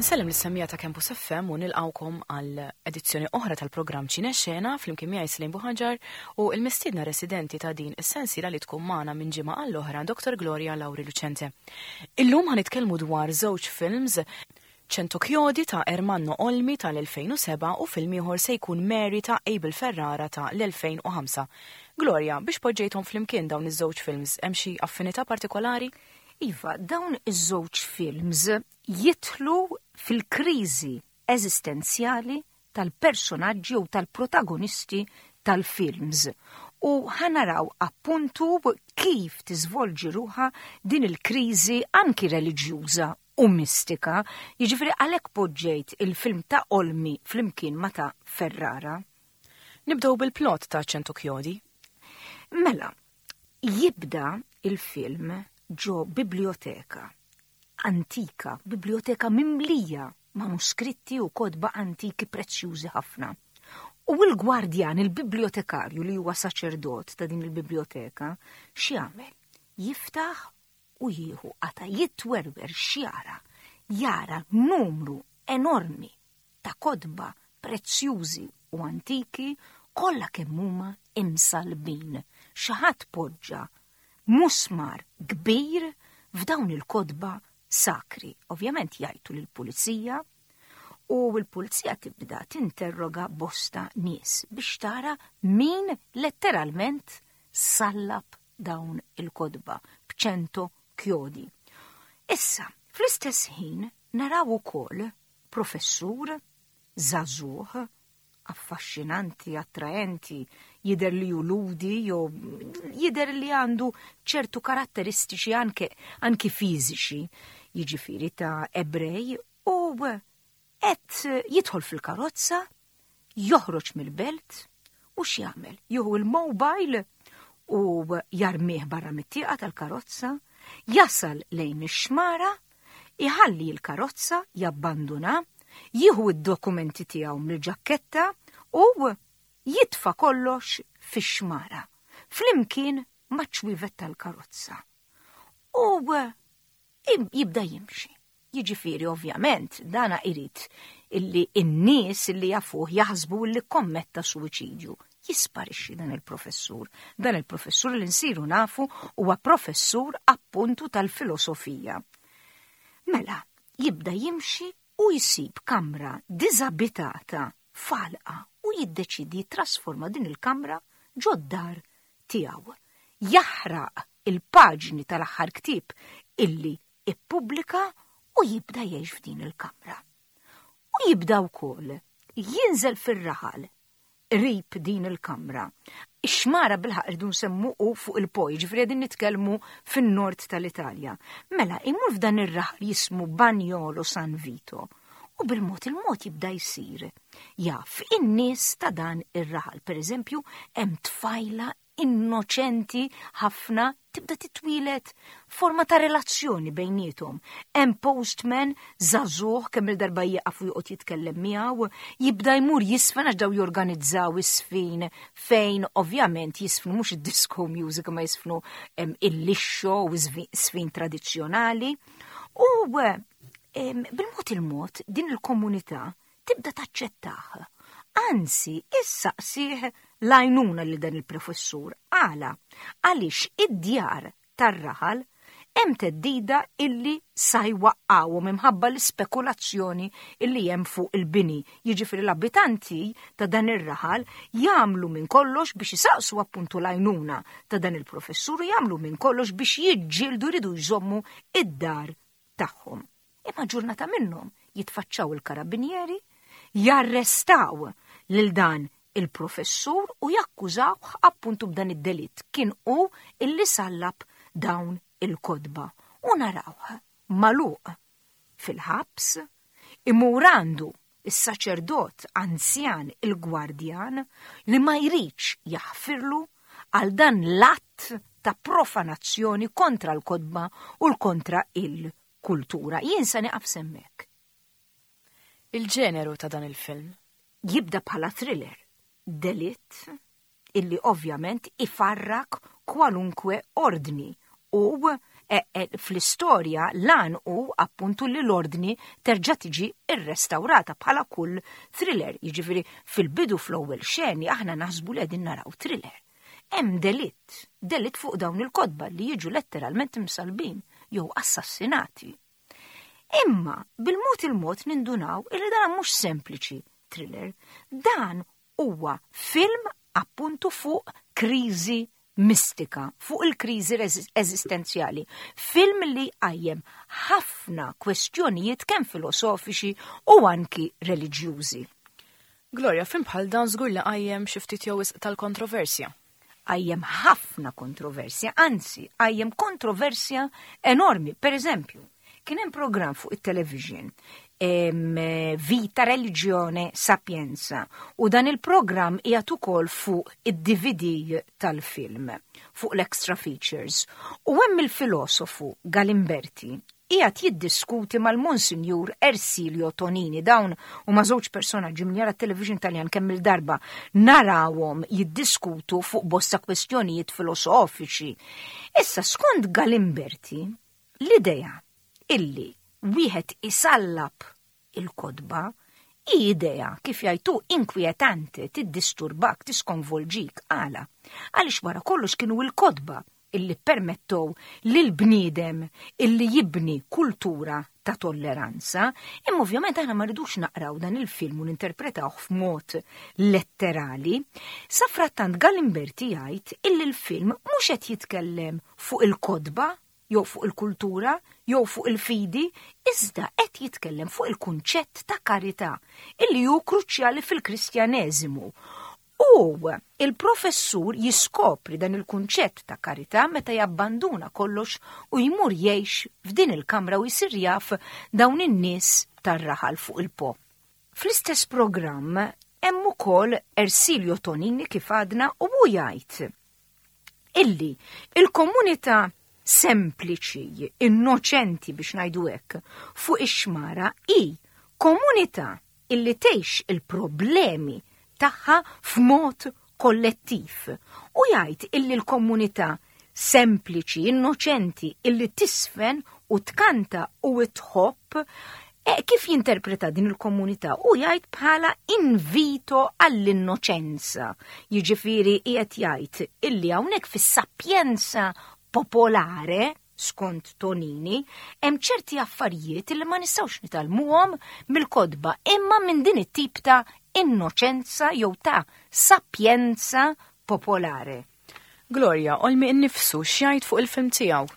Insellem lis-semmiegħa ta' Campus FM u nilqgħukom għal edizzjoni oħra tal-programm Ċine Xena flimkien miegħi Slim Buħaġar u l-mistiedna residenti ta' din is-sensiela li tkun magħna minn ġimgħa għall-oħra Dr. Gloria Lauri Lucente. Illum ħa nitkellmu dwar żewġ films Cento Chiodi ta' Ermanno Olmi tal-2007 u film ieħor se jkun Mary ta' Abel Ferrara ta' l-2005. Gloria, biex poġġejthom flimkien dawn iż-żewġ films, hemm xi affinità partikolari? Iva, dawn iż-żewġ films jidħlu fil-kriżi eżistenzjali tal-personaġġi u tal-protagonisti tal-films u ħa naraw appuntu kif tiżvolġi ruħha din il-kriżi anki reliġjuża u mistika, jiġifieri għalhekk poġġejt il-film ta' Olmi flimkien ma' ta' Ferrara. Nibdew bil-plot ta' Cento Chiodi. Mela, jibda il-film ġo biblioteka antika, biblioteka mimlija manuskritti u kotba antiki prezzjużi ħafna. U l-gwardjan, il-bibliotekarju li huwa saċerdot ta' din il-biblioteka, x'jagħmel? Jiftaħ u jieħu qata' jitwerwer x'jara, jara numru enormi ta' kotba prezzjużi u antiki kollha kemm huma imsallbin. Xi ħadd poġġa musmar kbir f'dawn il-kotba sakri. Ovvjament jgħajtu lill-pulizija u l-pulizija tibda tinterroga bosta nies biex tara min letteralment sallab dawn il-kotba b'ċento kjodi. Issa, fl-istess ħin naraw ukoll professur żagħżugħ affaxxinanti, attraenti, jidher li hu ludi jew jidher li għandu ċertu karatteristiċi anke anki fiżiċi, jiġifieri ta' Ebrej u qed jidħol fil-karozza, joħroġ mill-belt u x'jagħmel? Jieħu l-mobile u jarmih barra mit-tieqa tal-karozza, jasal lejn ix-xmara Iħalli l-karozza, jabbanduna, jieħu d-dokumenti tiegħu mill-ġakketta u jitfa' kollox fix-xmara, flimkien maċ-ċwievet tal-karozza. U jibda jimxi. Jiġifieri ovvjament dana irid illi n-nies illi jafuh jaħsbu illi kkommetta suwiċidju. Jisparixxi dan il-professur. Dan il-professur li nsiru nafu huwa professur appuntu tal-filosofija. Mela, jibda jimxi u jsib kamra diżabitata f'għalqa u jiddeċiedi jittrasforma din il-kamra ġod-dar tiegħu. Jaħraq il-paġni tal-aħħar ktieb illi ippubblika u jibda jgħix f'din il-kamra. U jibda wkoll jinżel fir-raħal qrib din il-kamra. Ix-xmara bilħaq irdu nsemmu u fuq il-Po, jiġifieri qegħdin nitkellmu fin-nord tal-Italja. Mela, imur f'dan ir-raħal jismu Bagnolo San Vito u bil-mod il-mod jibda jsir jaf in-nies ta' dan ir-raħal. Per eżempju, hemm tfajla innoċenti ħafna tibda titwieled forma ta' relazzjoni bejniethom. Hemm postman żagħżugħ kemm il-darba jieqaf u joqgħod jitkellem miegħu, jibda jmur jisfen għax daw jorganizzaw is-sfin fejn ovvjament jisfnu mhux id-disco music ma jisfnu il-lixxo u sfin tradizzjonali. U bil-mod il-mod din il-komunità tibda taċċettah. Anzi, issaqsih l-għajnuna lil dan il-professur. Għala? Għaliex id-djar tar-raħal hemm theddida illi sa jwaqqgħuhom imħabba l-ispekulazzjoni illi hemm fuq il-bini. Jiġifieri l-abitanti ta' dan ir-raħal jagħmlu minn kollox biex isaqsu appuntu l-għajnuna ta' dan il-professur u jagħmlu minn kollox biex jiġġieldu jridu jżommu id-dar tagħhom. Imma ġurnata minnhom jitfaċċaw il-karabinieri, jarrestaw lil dan il-professur u jakkużawh appuntu b'dan id-delitt. Kien hu illi sallab dawn il-kotba. U narawh magħluq fil-ħabs, imur għandu is-saċerdot anzjan il-gwardjan li ma jridx jaħfirlu għal dan l-att ta' profanazzjoni kontra l-kotba u l-kontra il-kultura. Jien se nieqaf s'hemmhekk. Il-ġeneru ta' dan il-film? Jibda bħala thriller, delitt, illi ovvjament ifarrak kwalunkwe ordni u E, e, fl-istorja lan hu appuntu li l-ordni terġa' tiġi rrestawrata bħala kull thriller. Jiġifieri fil-bidu fl-ewwel xeni aħna naħsbu li qegħdin naraw thriller. Hemm delitt, delitt fuq dawn il-kotba li jiġu letteralment imsalbin jew assassinati. Imma bil-mod il-mod nindunaw illi dan mhux sempliċi thriller, dan huwa film appuntu fuq kriżi mistika, fuq il-kriżi eżistenzjali. Film li jqajjem ħafna kwestjonijiet kemm filosofiċi u anki reliġjużi. Gloria, film bħal dan żgur li qajjem xi ftit jew wisq tal-kontroversja. Qajjem ħafna kontroversja, anzi, qajjem kontroversja enormi. Per eżempju, kien hemm programm fuq it-television Vita Religione Sapienza u dan il-programm qiegħed ukoll fuq id-DVD tal-film, fuq l-extra features. U hemm il-filosofu Galimberti qiegħed jiddiskuti mal-Monsinjur Ersilio Tonini. Dawn huma żewġ personaġġi min jara t-television Taljan kemm il-darba narawhom jiddiskutu fuq bosta kwestjonijiet filosofiċi. Issa skont Galimberti, l-idea illi wieħed isallab il-kotba hi idea, kif jgħid hu, inkwietante, tiddisturbak, tiskonvolġik. Għala? Għaliex wara kollox kienu l-kotba illi ppermettew lill-bniedem illi jibni kultura ta' tolleranza, imma ovvjament aħna ma rridux naqraw dan il-film u ninterpretawh f'mod letterali. Safrattant Galimberti jgħid illi l-film mhux qed jitkellem fuq il-kotba jew fuq il-kultura jew fuq il-fidi, iżda qed jitkellem fuq il-kunċett ta' karità illi hu kruċjali fil-Kristjaneżimu. U il-professur jiskopri dan il-kunċett ta' karità meta jabbanduna kollox u jmur jgħix f'din il-kamra u jsir jaf dawn in-nies tar-raħal fuq il-Po. Fl-istess programm hemm ukoll Ersilio Tonini kif għadna u hu jgħid illi il-komunità sempliċi, innoċenti biex ngħidu hekk, fuq ix-xmara hi komunità illi tgħix il-problemi tagħha f'mod kollettiv u jgħid illi l-komunità sempliċi, innoċenti, illi tisfen u tkanta u tħobb, e, kif jinterpreta din il-komunità u jgħid bħala invito għall-innoċenza. Jiġifieri qiegħed jgħid illi hawnhekk fis-sapjenza popolare skont Tonini, hemm ċerti affarijiet li ma nistgħux nitgħallmuhom mill-kotba imma minn din it-tip ta' innoċenza jew ta' sapjenza popolare. Gloria, Olmi innifsu x'jgħid fuq il-film tiegħu?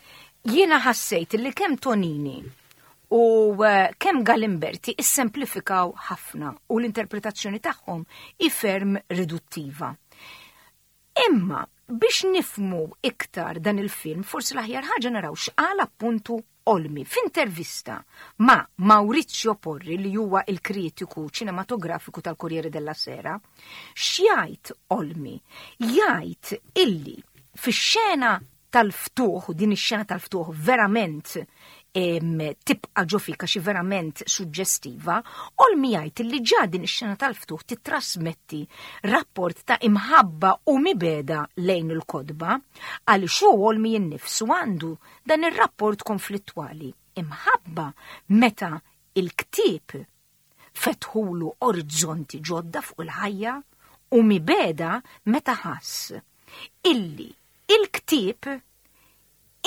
Jiena ħassejt li kemm Tonini u eh, kemm Galimberti issemplifikaw ħafna u l-interpretazzjoni tagħhom hi ferm riduttiva. Imma biex nifmu iktar dan il-film, forsi l-aħjar ħaġa naraw x'qal appuntu Olmi f'intervista ma' Maurizio Porri li huwa il-kritiku ċinematografiku tal-Corriere della Sera. X'jgħid Olmi? Jgħid illi fix-xena tal-ftuħ, din ix-xena tal-ftuħ verament tibqa' ġo fik għax verament suġġestiva, Olmi jgħid li ġa din ix-xena tal-ftuħ titrasmetti rapport ta' imħabba u mibeda lejn il-kotba, għaliex hu Olmi innifsu għandu dan ir-rapport konflittwali, imħabba meta il-ktieb fetħulu orizzonti ġodda fuq il-ħajja u mibeda meta ħass illi il-ktieb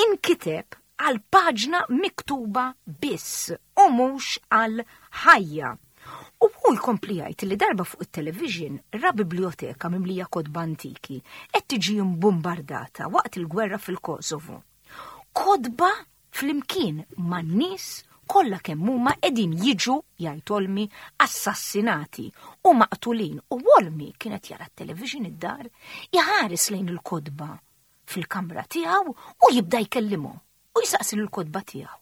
inkiteb għal paġna miktuba biss u mhux għal ħajja. U hu jkompli jgħid li darba fuq it-television ra biblioteka mimlija kotba antiki qed tiġi mbumbardata waqt il-gwerra fil-Kosovo. Kotba flimkien man-nies kollha kemm huma qegħdin jiġu, jgħid Olmi, assassinati u maqtulin u Olmi kien qed jara t-television id-dar iħares lejn il-kotba fil-kamra tiegħu u jibda jkellimhom u jsaqsi lill-kotba tiegħu.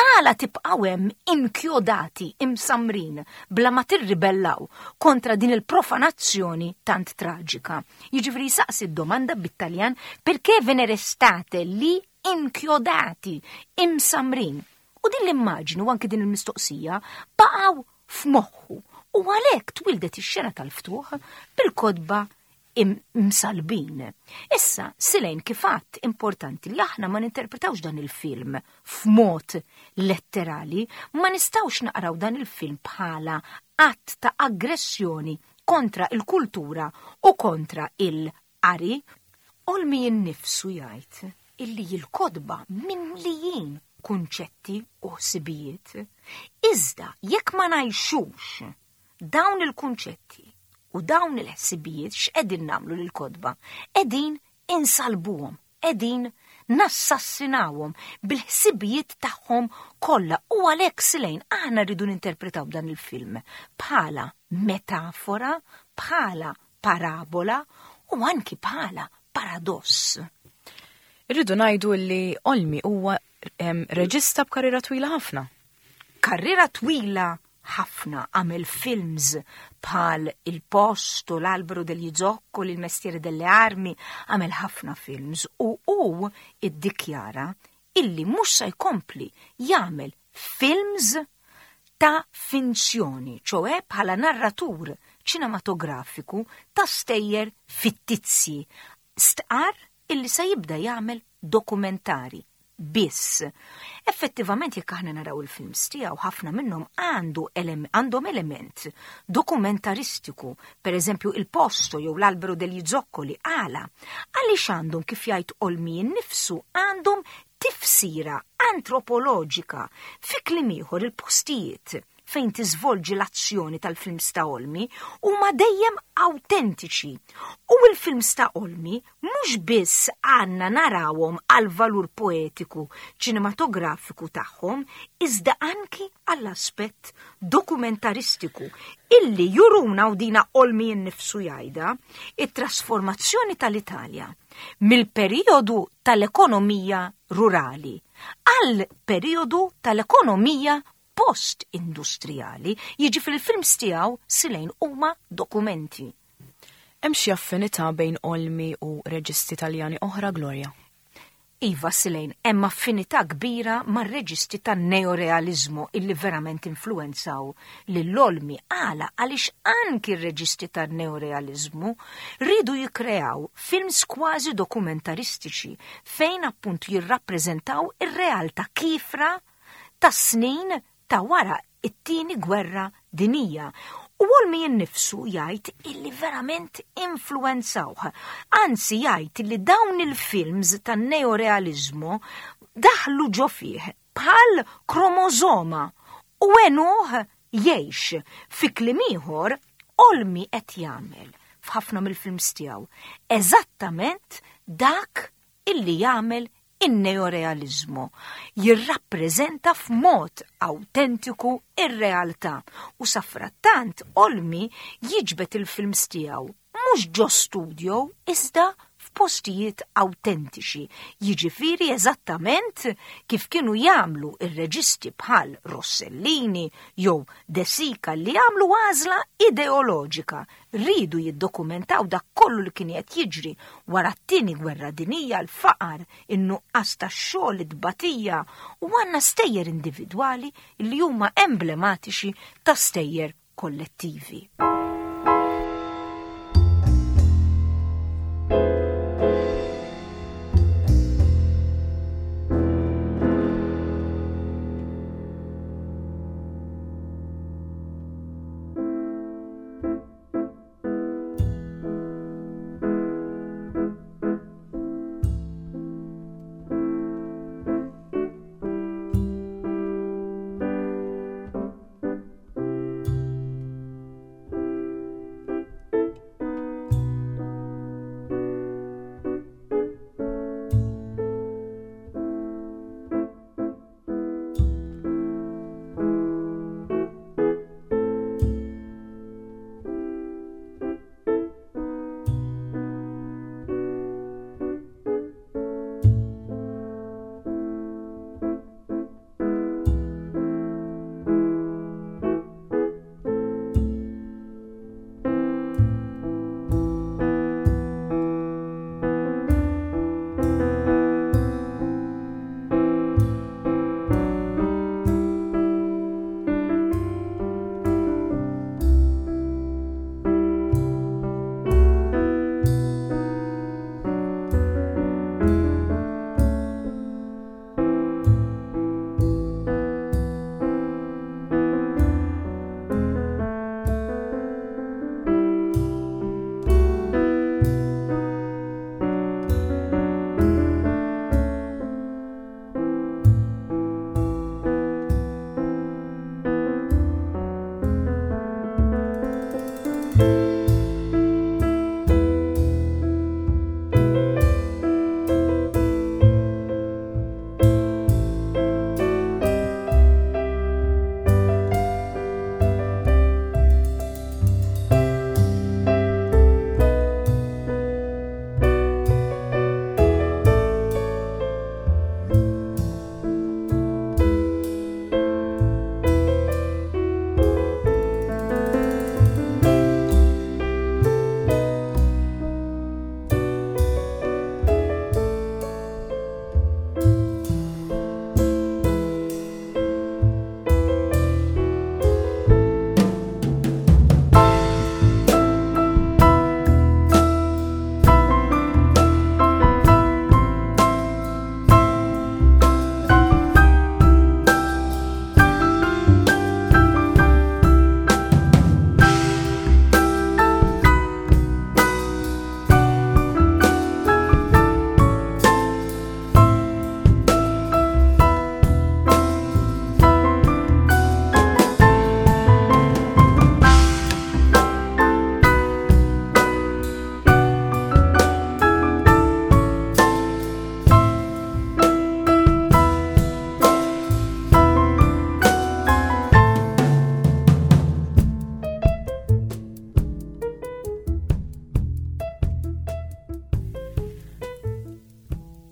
Għala tibqgħu hemm inkjodati, imsammrin, bla ma tirribellaw kontra din il-profanazzjoni tant traġika? Jiġifieri jsaqsi d-domanda bit-Taljan perché ve ne restate lì inchiodati, imsammrin? U din l-immaġni u anki din il-mistoqsija baqgħu f'moħħu u għalhekk twildet ix-xena tal-ftuħ bil-kotba. Imsallbin. Issa, Silejn kif għadt importanti li aħna ma ninterpretawx dan il-film f'mod letterali, ma nistgħux naqraw dan il-film bħala att ta' aggressjoni kontra il-kultura u kontra il-qari. Olmi innifsu jgħid illi l-kotba mimlijin kunċetti u ħsibijiet. Iżda jekk ma ngħixux dawn il-kunċetti u dawn il-ħsibijiet x'qegħdin nagħmlu lill-kotba? Qegħdin insalbuhom, qegħdin nassassinawhom bil-ħsibijiet tagħhom kollha u għalhekk Silejn aħna rridu ninterpretaw dan il-film bħala metafora, bħala parabola u anki bħala paradoss. Irridu ngħidu li Olmi huwa reġista b'karriera twila ħafna. Karriera twila ħafna għamel films bħal Il Posto, L'Albero degli Zoccoli, Il Mestiere delle Armi, għamel ħafna films u hu iddikjara illi mhux se jkompli jagħmel films ta' finzjoni, ċoe bħala narratur ċinematografiku ta' stejjer fittizji. Stqarr illi se jibda jagħmel dokumentari biss. Effettivament jekk aħna naraw il-films tiegħu ħafna minnhom għandu għandhom element dokumentaristiku, per eżempju Il Posto jew L'Albero degli Zoccoli għala. Għaliex għandhom kif jgħid Olmi nnifsu għandhom tifsira antropoloġika. Fi kliem ieħor il-postijiet fejn tiżvolġi l-azzjoni tal-films ta' Olmi huma dejjem awtentiċi. U l-films ta' Olmi mhux biss għandna narawhom għal valur poetiku ċinematografiku tagħhom, iżda anki għall-aspett dokumentaristiku illi juruna u dina Olmi nnifsu jgħidha, it-trasformazzjoni tal-Italja mill-perijodu tal-ekonomija rurali għal perijodu tal-ekonomija post-industrijali, jiġifieri l-films tiegħu Silejn huma dokumenti. Hemm xi affinità bejn Olmi u reġisti Taljani oħra, Gloria? Iva, Silejn, hemm affinità kbira mar-reġisti tan-neorealiżmu illi verament influwenzaw lil Olmi. Għala? Għaliex anki r-reġisti tan-neorealiżmu riedu jikkreaw films kważi dokumentaristiċi fejn appunt jirrappreżentaw ir-realtà kiefra tas-snin ta' wara t-Tieni Gwerra Dinjija. U Olmi innifsu jgħid illi verament influwenzawh. Anzi jgħid illi dawn il-films tan-neorealiżmu daħlu ġo fih bħal kromosoma u għenuh jgħix. Fi kliem ieħor, Olmi qed jagħmel f'ħafna mill-films tiegħu eżattament dak illi jagħmel in-neorealiżmu jirrappreżenta f'mod awtentiku r-realtà u safrattant Olmi jiġbed il-films tiegħu mhux ġo studio iżda f'postijiet awtentiċi, jiġifieri eżattament kif kienu jagħmlu r-reġisti bħal Rossellini jew De Sica li għamlu għażla ideoloġika riedu jiddokumentaw dak kollu li kien qed jiġri wara t-Tieni Gwerra Dinjija, l-faqar, in-nuqqas ta' xogħol, it-tbatija, u għandna stejjer individwali li huma emblematiċi ta' stejjer kollettivi.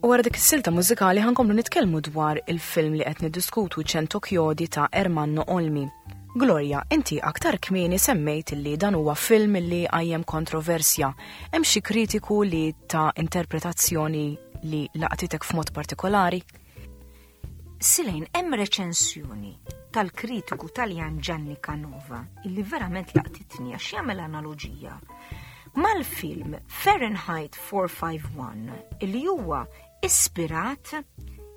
U wara dik is-silta mużikali ħankomplu nitkellmu dwar il-film li qed niddiskutu Cento Chiodi ta' Ermanno Olmi. Gloria, inti aktar kmieni semmejt li dan huwa film li għajjem kontroversja. Hemm xi kritiku li ta' interpretazzjoni li laqtitek f'mod partikolari? Silejn, hemm reċensjoni tal-kritiku Taljan Gianni Canova illi verament laqtitni għax jagħmel analoġija mal-film Fahrenheit 451 illi huwa ispirat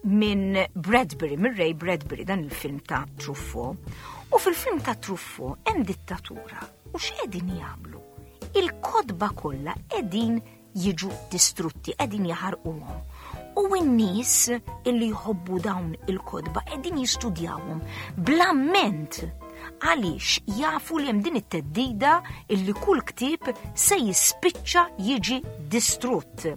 minn Bradbury, minn Ray Bradbury, dan il-film ta' Truffaut. U fil-film ta' Truffaut hemm dittatura u x'qegħdin jagħmlu? Il-kotba kollha qegħdin jiġu distrutti, qegħdin jaħarquhom. U n-nies illi jħobbu dawn il-kotba qegħdin jistudjawhom bl-amment għaliex jafu li hemm din it-teddida illi kull ktieb se jispiċċa jiġi distrutt.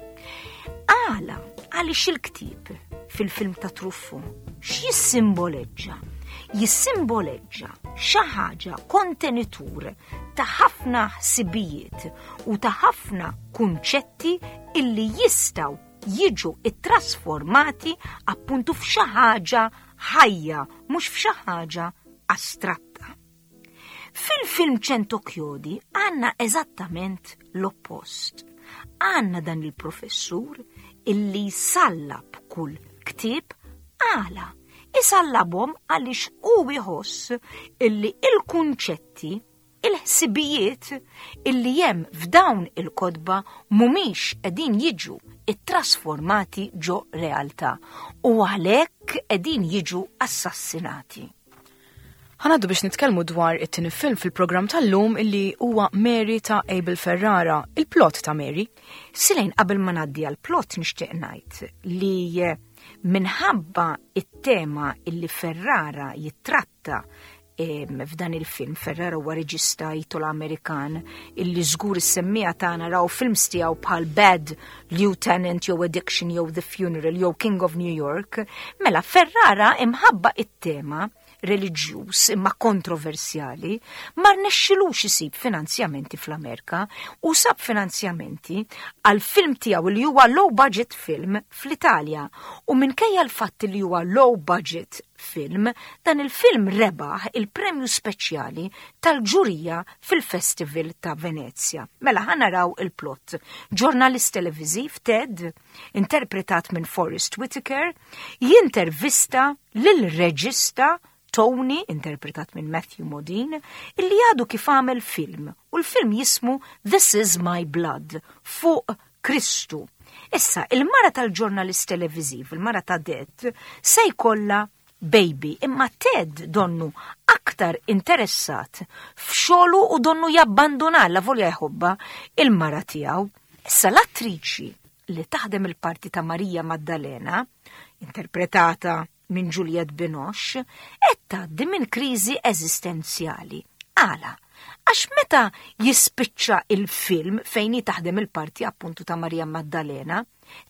Għala, għaliex il-ktieb fil-film ta' Truffaut x'jissimboleġġa? Jissimboleġġa xi ħaġa kontenitur ta' ħafna ħsibijiet u ta' ħafna kunċetti illi jistgħu jiġu ittrasformati appuntu f'xi ħaġa ħajja, mhux f'xi ħaġa astratta. Fil-film Cento Chiodi għandna eżattament l-oppost. Għandna dan il-professur illi jsallab kull ktieb għala. Isallabhom għaliex hu jħoss illi il-kunċetti, il-ħsibijiet illi hemm f'dawn il-kotba mhumiex qegħdin jiġu ittrasformati ġo realtà u għalhekk qegħdin jiġu assassinati. Ħa ngħaddu biex nitkellmu dwar it-tieni film fil-programm tal-lum illi huwa Mary ta' Abel Ferrara, il-plot ta' Mary. Silejn, qabel ma ngħaddi għall-plot nixtieq ngħid li minħabba it-tema illi Ferrara jittratta f'dan il-film, Ferrara huwa reġista Italo-Amerikan illi żgur is-semmiegħa tagħna raw films tiegħu bħal Bad Lieutenant jew Addiction jew The Funeral jew King of New York, mela Ferrara imħabba it-tema reliġjuż imma kontroversjali ma rnexxilux isib finanzjamenti fl-Amerika u sab finanzjamenti għal film tiegħu li huwa low budget film fl-Italja u minkejja l-fatt li huwa low budget film, dan il-film rebaħ il-premju speċjali tal-ġurija fil-Festival ta' Venezia. Mela ħa naraw il-plot. Ġurnalist televiżiv Ted, interpretat minn Forest Whitaker, jintervista lil reġista Tony, interpretat minn Matthew Modine, illi għadu kif għamel film, u l-film jismu This Is My Blood, fuq Kristu. Issa, il-mara tal-ġurnalist televiżiv, il-mara ta' Ted, se jkollha baby, imma Ted donnu aktar interessat f'xogħlu u donnu jabbanduna la volja jħobba il-mara tiegħu. Issa l-attriċi li taħdem il-parti ta' Marija Maddalena, interpretata minn Juliette Binoche, qed tgħaddi minn kriżi eżistenzjali. Għala? Għax meta jispiċċa il-film fejn hi taħdem il-parti appuntu ta' Marija Maddalena,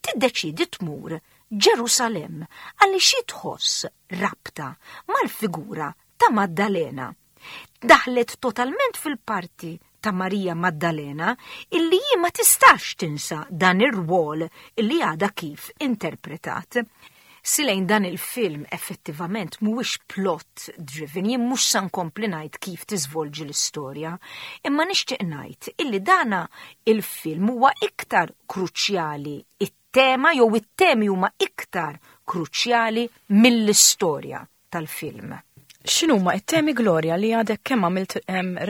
tiddeċidi tmur Ġerusalem għaliex hi tħoss rabta mal-figura ta' Maddalena. Daħlet totalment fil-parti ta' Marija Maddalena illi hi ma tistax tinsa dan ir-rwol illi għadha kif interpretat. Silejn dan il-film effettivament mhuwiex plot driven, jien mhux sa nkompli ngħid kif tiżvolġi l-istorja, imma nixtieq ngħid illi dana il-film huwa iktar kruċjali, it-tema jew it-temi huma iktar kruċjali mill-istorja tal-film. X'inhuma it-temi, Gloria, li għadek kemm għamilt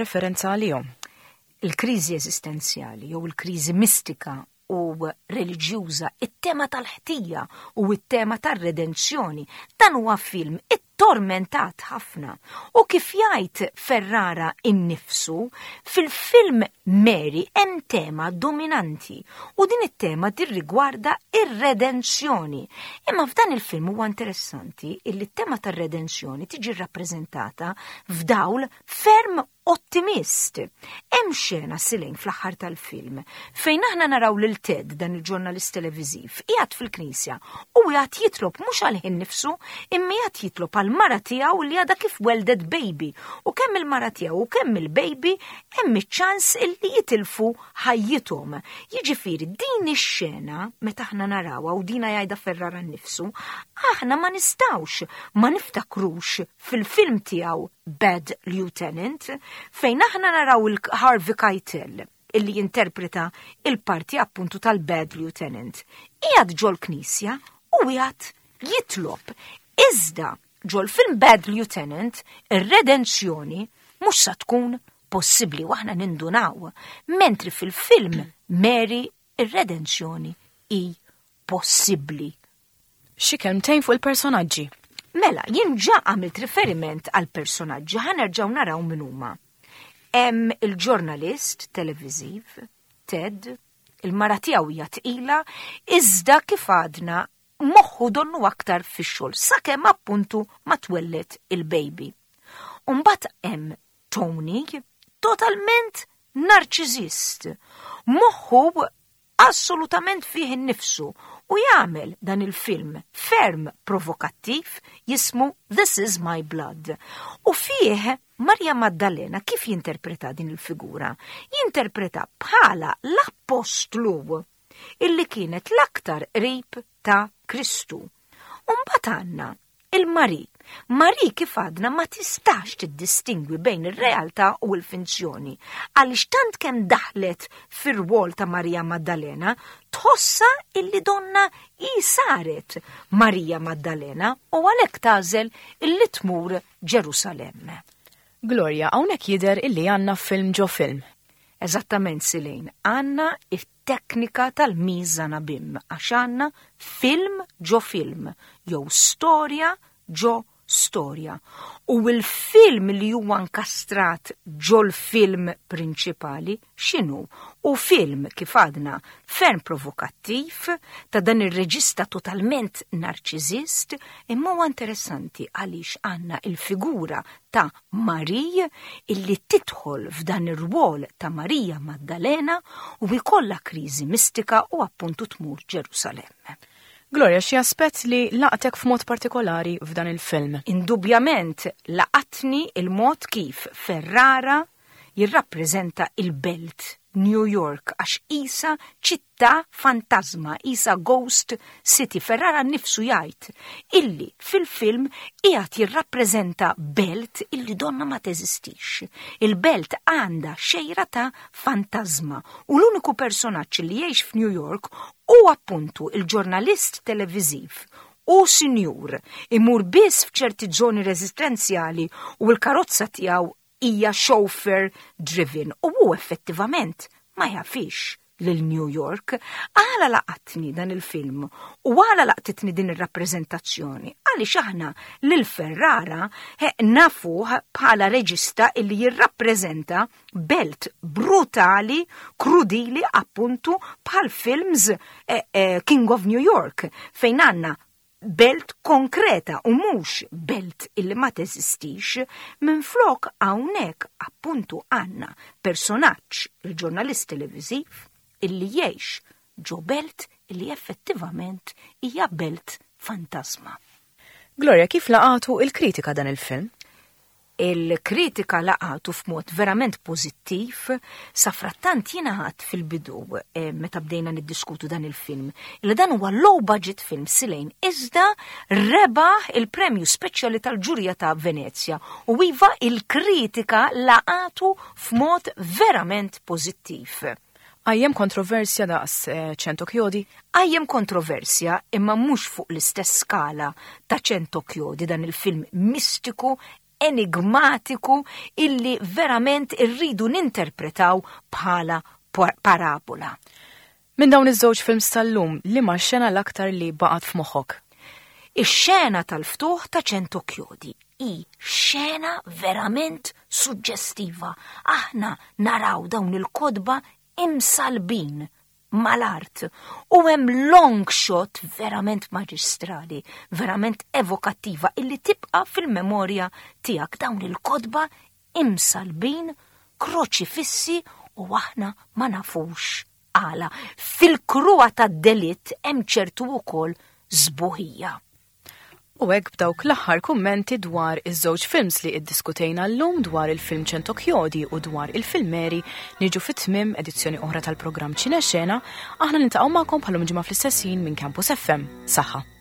referenza għalihom? Il-kriżi eżistenzjali jew il-kriżi mistika u reliġjuża, it-tema tal-ħtija u it-tema tar-redenzjoni. Dan huwa film ittormentat ħafna. U kif jgħid Ferrara innifsu, fil-film Mary hemm tema dominanti u din it-tema tirrigwarda ir-redenzjoni. Imma f'dan il-film huwa interessanti illi t-tema tar-redenzjoni tiġi rappreżentata f'dawl ferm Ottimist. Hemm xena silejn fl-aħħar tal-film fejn aħna naraw lil Ted dan il-ġurnalist televiżiv qiegħed fil-knisja u qiegħed jitlob mhux għal ħin nifsu imma qiegħed jitlob għal mara tiegħu li għadha kif weldet baby u kemm il-mara tiegħu u kemm il-baby hemm iċ-ċans illi jitilfu ħajjithom. Jiġifieri din ix-xena meta aħna narawha u dina jgħidha Ferrara nnifsu, aħna ma nistgħux ma niftakrux fil-film tiegħu Bad Lieutenant fejn aħna naraw il-Harvey Keitel illi jinterpreta il-parti appuntu tal-Bad Lieutenant. Qiegħed ġol-knisja u qiegħed jitlob. Iżda ġol-film Bad Lieutenant ir-redenzjoni mhux sa tkun possibbli u aħna nindunaw, mentri fil-film Mary ir-redenzjoni hi possibbli. Xi kelmtejn fuq il-personaġġi. Mela, jien ġa għamilt riferiment għal personaġġi ħa nerġgħu naraw min huma. Hemm il-ġurnalist televiżiv, Ted, il-mara tiegħu hija tqila, iżda kif għadna moħħu donnu aktar fix-xogħol sakemm appuntu ma twelled il-baby. Umbagħad hemm Tony, totalment narċiżist. Moħħu assolutament fih innifsu u jagħmel dan il-film ferm provokattiv jismu This is my blood. U fih Maria Maddalena kif jinterpreta din il-figura? Jinterpreta bħala l-appostlu illi kienet l-aktar qrib ta' Kristu. U mbagħad għandna il-Marie. Marie kif għadna ma tistax tiddistingwi bejn ir-realtà u l-finzjoni, għaliex tant kemm daħlet fir-rwol ta' Maria Maddalena, tħossha illi donna hi saret Maria Maddalena u għalhekk tagħżel illi tmur Ġerusalemm. Gloria, hawnhekk jidher illi għandna film ġo film. Eżattament Silejn, għandna teknika tal-mise-en-abyme għax għandna film ġo film jew storja ġo storja. U l-film li huwa nkastrat ġol-film prinċipali x'inhu? U film kif għadna ferm provokattiv ta' dan ir-reġista totalment narċiżist, imma huwa interessanti għaliex għandna il-figura ta' Marie illi tidħol f'dan ir-rwol ta' Marija Maddalena u jkollha kriżi mistika u appuntu tmur Ġerusalemm. Gloria, xi aspett li laqtek f'mod partikolari f'dan il-film? Indubjament laqatni il-mod kif Ferrara jirrappreżenta il-belt New York għax qisha ċittà fantażma, qisha ghost city. Ferrara nnifsu jgħid illi fil-film qiegħed jirrappreżenta belt illi donna ma teżistix. Il-belt għandha xejra ta' fantażma u l-uniku personaġġ li jgħix f'New York hu appuntu il-ġurnalist televiżiv u sinjur, imur biss f'ċerti żoni residenzjali u l-karozza tiegħu hija chauffeur driven u hu effettivament ma jafix lil New York. Għala laqatni dan il-film u għala laqtitni din ir-rappreżentazzjoni? Għaliex aħna lil Ferrara nafuh bħala reġista illi jirrappreżenta belt brutali, krudili appuntu bħal films eh, eh, King of New York fejn għandna belt konkreta u mhux belt illi ma teżistix, minflok hawnhekk appuntu għandna personaġġ, il-ġurnalist televiżiv, illi jgħix ġo belt illi effettivament hija belt fantasma. Gloria, kif laqatu il-kritika dan il-film? Il-kritika laqatu f'mod verament pożittiv, safrattant jiena ħadd fil-bidu eh, meta bdejna niddiskutu dan il-film, li dan huwa low budget film silejn iżda rebaħ il-premju speċjali tal-ġurija ta' Venezja u iva il-kritika laqatu f'mod verament pożittiv. Qajjem kontroversja daqs eh, Cento Chiodi? Qajjem kontroversja imma mhux fuq l-istess skala ta' Cento Chiodi dan il-film mistiku, enigmatiku illi verament irridu ninterpretaw bħala parabola. Minn dawn iż-żewġ films tal-lum, liema xena l-aktar li baqgħet f'moħħok? Ix-xena tal-ftuħ ta' Cento Chiodi hi xena verament suġġestiva. Aħna naraw dawn il-kotba imsalbin mal-art u hemm long shot verament maġistrali, verament evokattiva illi tibqa' fil-memorja tiegħek dawn il-kotba imsallbin, kroċifissi u aħna ma nafux għala. Fil-kruha tad-delitt hemm ċertu wkoll sbuħija. U hekk b'dawk l-aħħar kummenti dwar iż-żewġ films li iddiskutejna llum dwar il-film Centochiodi u dwar il-film Mary niġu fi tmiem edizzjoni oħra tal-programm Ċinexena, aħna niltaqgħu magħkom bħalum ġimgħa fl-istess ħin minn Campus FM. Saħħa.